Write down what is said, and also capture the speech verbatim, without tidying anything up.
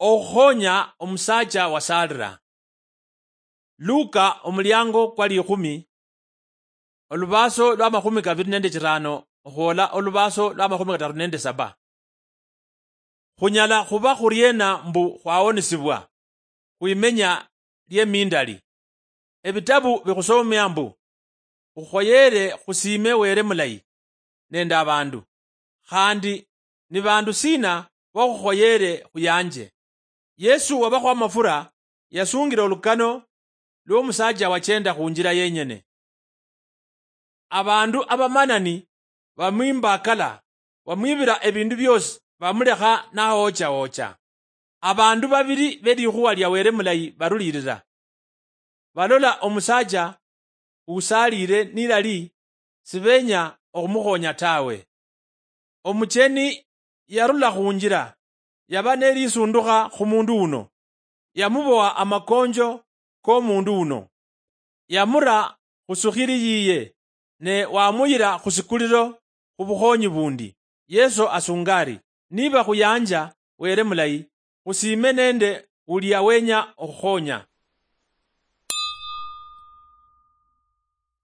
Okhukhonya omusaacha wasaalira. Luka omuliango kwa likhumi, olubaaso lwa makhumi kabiri nende chirano okhwola olubaaso lwa makhumi kataru nende saba. Khunyala khuba khuriena mbu khwawonisibwa khwimenya liemindali? Ebitabu bikhusomia mbu khukhoyere khusiime Were mulayi nende abandu, khandi ni bandu sina bokhukhoyere khuyanje? Yesu wabakhwa amafura yasungire olukano lwomusaacha wachenda khunjira yenyene. Abandu abamanani bamwimbakala, bamwibira ebindu biosi, bamulekha nawochawocha. Abandu babiri belikhuwa lia Were mulayi barulirira. Balola omusaacha usaalire nilali, sibenya okhumukhonya tawe. Omucheni yarula khunjira, yaba nelisundukha khumundu uno, yamubowa amakonjo komundu uno, yamura khusukhiri yiye, ne wamuyira khusikuliro khubukhonyi bundi. Yesu asunga ari, niba khuyanja Were mulayi, khusiime nende ulia wenya okhukhonya.